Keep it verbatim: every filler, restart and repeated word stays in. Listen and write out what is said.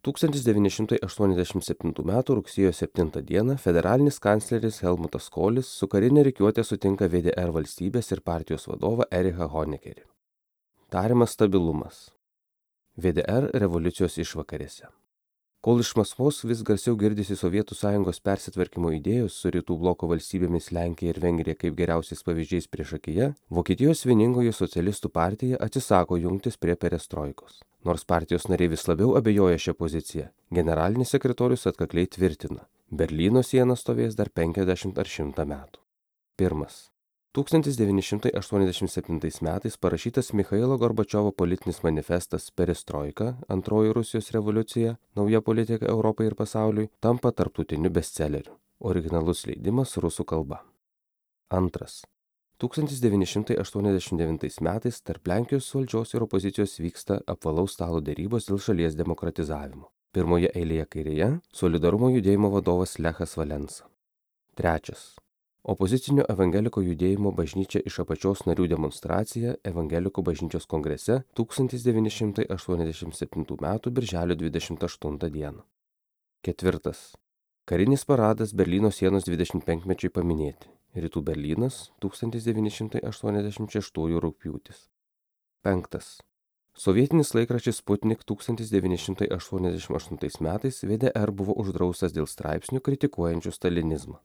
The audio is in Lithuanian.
tūkstantis devyni šimtai aštuoniasdešimt septintų metų rugsėjo septintą dieną federalinis kancleris Helmutas Kolis su karine rikiuote sutinka V D R valstybės ir partijos vadovą Erichą Honekerį. Tariamas stabilumas. V D R revoliucijos išvakarėse. Kol iš Maskvos vis garsiau girdisi Sovietų sąjungos persitvarkymo idėjos su rytų bloko valstybėmis Lenkija ir Vengrija kaip geriausiais pavyzdžiais priešakyje, Vokietijos vieningoji socialistų partija atsisako jungtis prie perestroikos. Nors partijos nariai vis labiau abejoja šią poziciją, generalinis sekretorius atkakliai tvirtina, Berlyno siena stovės dar penkiasdešimt ar šimtą metų. Pirmas. tūkstantis devyni šimtai aštuoniasdešimt septintais metais parašytas Michailo Gorbačiovo politinis manifestas Perestroika, antroji Rusijos revoliucija, nauja politika Europai ir pasauliui, tampa tarptautiniu bestselleriu. Originalus leidimas rusų kalba. Antras. tūkstantis devyni šimtai aštuoniasdešimt devintais metais tarp Lenkijos valdžios ir opozicijos vyksta apvalaus stalo derybos dėl šalies demokratizavimo. Pirmoje eilėje kairėje – Solidarumo judėjimo vadovas Lechas Valensa. Trečias. Opozicinio evangeliko judėjimo bažnyčia iš apačios narių demonstracija Evangelikų bažnyčios kongrese tūkstantis devyni šimtai aštuoniasdešimt septintų metų birželio dvidešimt aštuntą dieną. Ketvirtas. Karinis paradas Berlyno sienos dvidešimtpenkmečiui paminėti. Rytų Berlynas tūkstantis devyni šimtai aštuoniasdešimt šeštųjų rugpjūtis. Penktas. Sovietinis laikraštis Sputnik tūkstantis devyni šimtai aštuoniasdešimt aštuntais metais V D R buvo uždraustas dėl straipsnių kritikuojančių stalinizmą.